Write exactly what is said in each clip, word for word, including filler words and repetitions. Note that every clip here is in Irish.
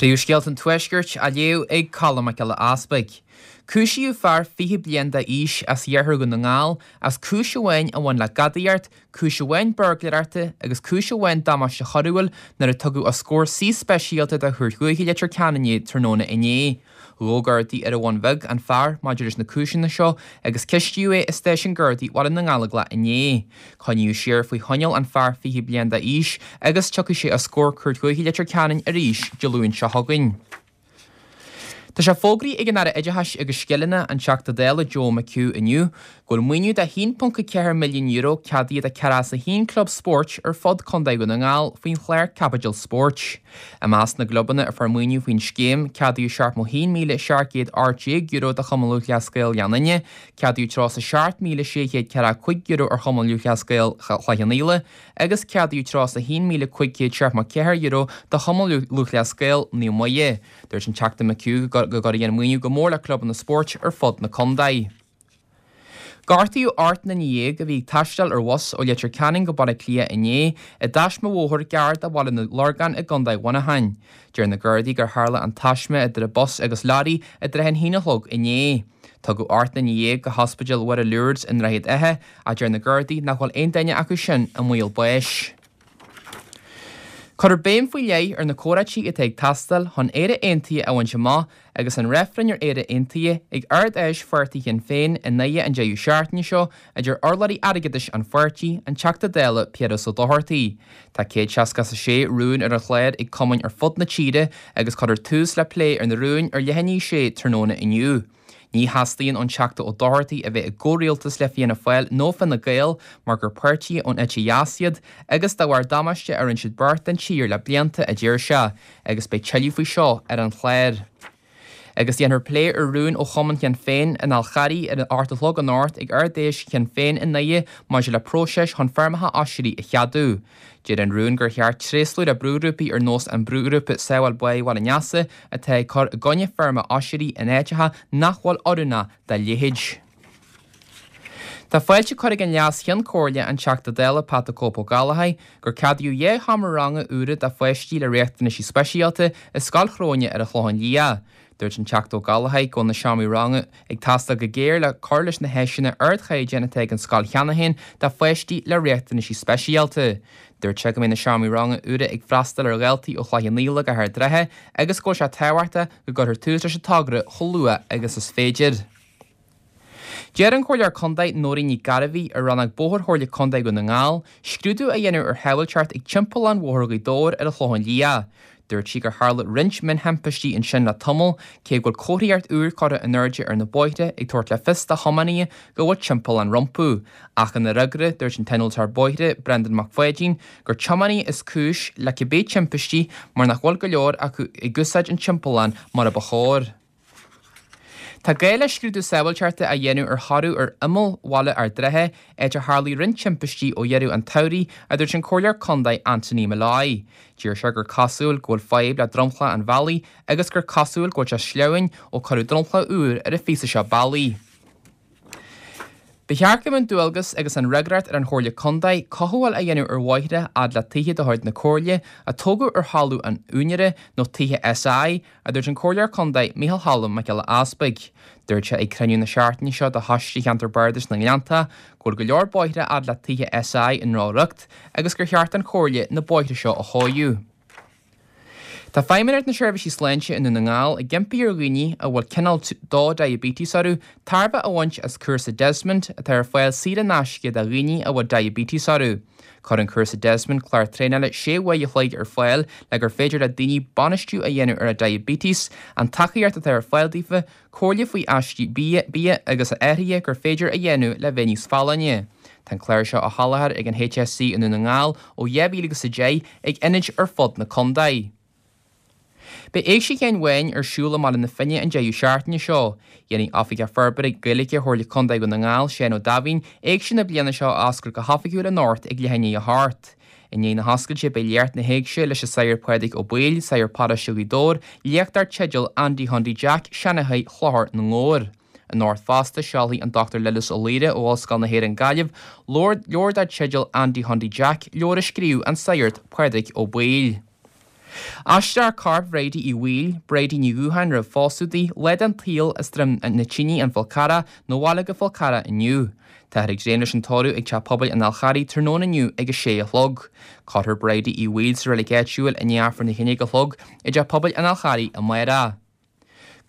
Príomhscéalta an Tuaiscirt á léamh ag Colm Mac Giolla Easpaig. Cúisíodh fear fiche bliain d'aois as iarthar Dhún na nGall as cúis amháin a bhain le gadaíocht, cúis amháin buirgléireachta agus cúis amháin damáiste choiriúil nuair a tugadh os comhair suí speisialta de Chúirt Dhúiche Leitir Ceanainn é tráthnóna inné. Ghabh Gardaí ar an Bhun Bheag an fear maidir leis na cúiseanna seo agus cistíodh é i Stáisiún Gardaí Bhaile na nGallóglach inné. Coinníodh siar faoi choinneáil an fear fiche bliain d'aois agus tiocfaidh sé os comhair Cúirt Dhúiche Leitir Ceanainn arís Dé Luain seo chugainn. Tá sé fógraithe ag an Aire Oideachais agus Scileanna, an Teachta Dála Joe McHugh inniu, go bhfuil maoiniú de haon ponc a ceathair milliún euro ceadaithe do ceathracha a haon club spóirt ar fud Contae Dhún na nGall faoin chlár Caibidil Spóirt. I measc na gclubanna a fuair maoiniú faoin scéim, ceadaíodh seachtó haon míle seacht gcéad ocht déag euro do Chumann Lúthchleas Gael Ghleann Fhinne, ceadaíodh tríocha seacht míle sé chéad ceathracha cúig euro ar Chumann Lúthchleas Gael Chloich Cheann Fhaola agus ceadaíodh tríocha haon míle cúig chéad seachtó ceathair euro do Chumann Lúthchleas Gael Naomh Muire. Dúirt an Teachta McHugh go gcuirfidh an maoiniú go mór le clubanna spóirt ar fud na contae. Gortaíodh ocht nduine dhéag a bhí ag taisteal ar bhus ó Leitir Ceanainn go Baile Átha Cliath inné i dtaisme bhóthair gar do Bhaile na Lorgan i gContae Mhuineacháin. Deir na Gardaí gur tharla an taisme idir an bus agus leoraí i dtrátha an haon a chlog inné. Tugadh ocht nduine dhéag go hOspidéal Mhuire Lourdes i nDroichead Átha ach deir na Gardaí nach bhfuil aon duine acu sin i mbaol báis. Cuirfear béim faoi leith ar na comhráití atá ag teastáil chun Éire Aontaithe a bhaint amach agus an reifreann ar Éire Aontaithe ag Ard-Fheis Pháirtí Shinn Féin i nDoire an deireadh seachtaine seo, a deir urlabhraí airgeadais an pháirtí, an Teachta Dála Piaras Ó Dochartaigh. Tá céad seasca a sé rún ar an chlár ag cumainn ar fud na tíre agus cuirfear tús le plé ar na rúin ar leath i ndiaidh a sé tráthnóna inniu. Ní theastaíonn ón Teachta Ó Dochartaigh a bheith i gcomhrialtas le Fianna Fáil nó Fine Gael mar gur páirtithe ón eite dheas iad agus dá bharr damáiste a rinne siad beirt don tír le blianta, a deir sé, agus beidh tuilleadh faoi seo ar an chlár. Agus déanfar plé ar rún ó Chumann Shinn Féin an Fháil Charraigh ar a hocht a chlog anocht ag Ard-Fheis Shinn Féin i nDoire maidir le próiseas chun feirmeacha oisrí a cheadú. Deir an rún gur cheart tréaslú le brúghrúpaí ar nós an brúghrúpa Sábháil Báigh Bhaile an Easa atá ag cur i gcoinne feirme oisrí in áiteacha nach bhfuil oiriúnach dá leithéid. Tá fáilte curtha ag an Leas-Cheann Comhairle an Teachta Dála Pat the Cope Ó Gallachóir gur ceadaíodh dhá sheomra ranga úra do pháistí le riachtanaisí speisialta i Scoil Chróine ar an Chlochán Liath. Dúirt an Teachta Ó Gallachóir go bhfuil na seomraí ranga ag teastáil go géar le cur leis na háiseanna ardchaighdeáin atá ag an scoil cheana féin do pháistí le riachtanaisí speisialta. Dúirt sé go mbeidh na seomraí ranga úra ag freastal ar dhaltaí ó Chloich Cheann Fhaola go hArd Ráithe agus go bhfuil sé tábhachtach go gcuirfear tús leis an togra chomh luath agus is féidir. Deir an Comhairleoir Contae Nóirín Ní Ghairbhí ar Rannóg Bóthair Chomhairle Contae Dhún na nGall scrúdú a dhéanamh ar shábháilteacht ag timpeallán Bhóthar Ghaoth Dobhair ar an Chlochán Liath. Dúirt sí gur tharla roinnt mionthimpistí ansin le tamall, cé go bhfuil comharthaíocht úr curtha in airde ar na bóithre ag tabhairt le fios do thiománaithe go bhfuil timpeallán rompu. Ach ina fhreagra, dúirt an t-innealtóir bóithre, Brendan Mac Pháidín, gur tiománaithe is cúis le cibé timpistí mar nach bhfuil go leor acu ag úsáid an timpeallán mar a ba chóir. Tá gá le scrúdú sábháilteachta a dhéanamh ar thoradh ar imeall Bhaile Ard Rátha, áit ar tharlaigh roinnt timpistí ó dheireadh an tsamhraidh, a dúirt an Comhairleoir Contae Anthony Molloy. Deir sé gur cosúil go bhfuil fadhb le dromchla an bhealaigh agus gur cosúil go bhfuil sé sleamhain ó cuireadh dromchla úr ar an phíosa seo bealaigh. Ba cheart go mbeadh an dualgas agus an fhreagracht ar an Chomhairle Contae cothabháil a dhéanamh ar bhóithre fhad le tithe de chuid na Comhairle a tógadh ar thalamh an úinéara nó tithe SI, a dúirt an Comhairleoir Contae Micheál Cholm Mac Giolla Easpaig. Dúirt sé ag cruinniú na seachtaine seo de Choiste Cheantar Bardais na nGleannta go bhfuil go leor bóithre fhad le tithe SI i ndrochriocht agus gur cheart don Chomhairle na bóithre seo a chóiriú. Tá Feidhmeannacht na Seirbhísí Sláinte i nDún na nGall ag impí ar dhaoine a bhfuil cineál dó diabetes orthu tairbhe a bhaint as cúrsa Desmond atá ar fáil saor in aisce do dhaoine a bhfuil diabetes orthu. Cuireann cúrsa Desmond clár traenála sé uair a chloig ar fáil le gur féidir le daoine bainistiú a dhéanamh ar a diabetes, an tacaíocht atá ar fáil daofa, comhairle faoi aistí bia, bia agus athruithe gur féidir a dhéanamh le bheith níos folláine. Tá an clár seo á sholáthar ag an HSE i nDún na nGall ó dhá mhíle agus a deich ag ionaid ar fud na contae. Beidh Éigse Sheáin Bháin ar siúl i mBaile na Finne an deireadh seachtaine seo. Dhéanfaidh Oifigeach Forbartha Gaeilge Chomhairle Contae Dhún na nGall, Seán Ó Daimhín, Éigse na bliana seo a oscailt go hoifigiúil anocht ag leath i ndiaidh a hocht. I ndiaidh na hoscailte beidh léacht na hÉigse leis an Sagart Pádraig Ó Baoill, Sagart Paróiste Ghaoth Dobhair, léacht dar teideal Andy Chondy Jack, Seanchaí Chlochar na nGabhar. Anocht fosta seolfaidh an Dochtúir Lillis Ó Laoire ó Ollscoil na hÉireann Gaillimh leabhar dar teideal Andy Chondy Jack, leabhar a scríobh an Sagart Pádraig Ó Baoill. Aistreofar corp Bhridie Uí Bhaoill, Bridie Ní Dhúcháin roimh phósadh di, lá den tsaol as Droim na Tine, An Fál Carrach, 'na bhaile go Fál Carrach inniu. Táthar ag dréim leis an tórramh ag Teach Pobail an Fháil Charraigh tráthnóna inniu ag a sé a chlog. Cuirfear Bridie Uí Bhaoill sa reilig áitiúil i ndiaidh Aifreann a haon déag a chlog i dTeach Pobail an Fháil Charraigh amárach.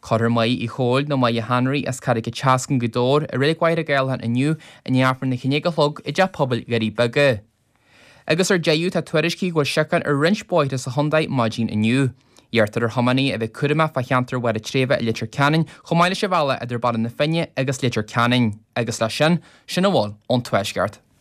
Cuirfear Máire Uí Chóil nó Máire Henry as Carraig an tSeascainn, Gaoth Dobhair i Reilig Mhachaire Gathlán inniu i ndiaidh Aifreann a haon déag a chlog i dTeach Pobail Dhoirí Beaga. Agus ar deireadh tá tuairiscí go bhfuil siocán ar roinnt bóithre sa chontae maidin inniu. Iarrtar ar thiománaithe a bheith cúramach fá cheantar Bharr an tSléibhe i Leitir Ceanainn chomh maith leis an bhealach idir Baile na Finne agus Leitir Ceanainn. Agus leis sin, sin a bhfuil ón Tuaisceart.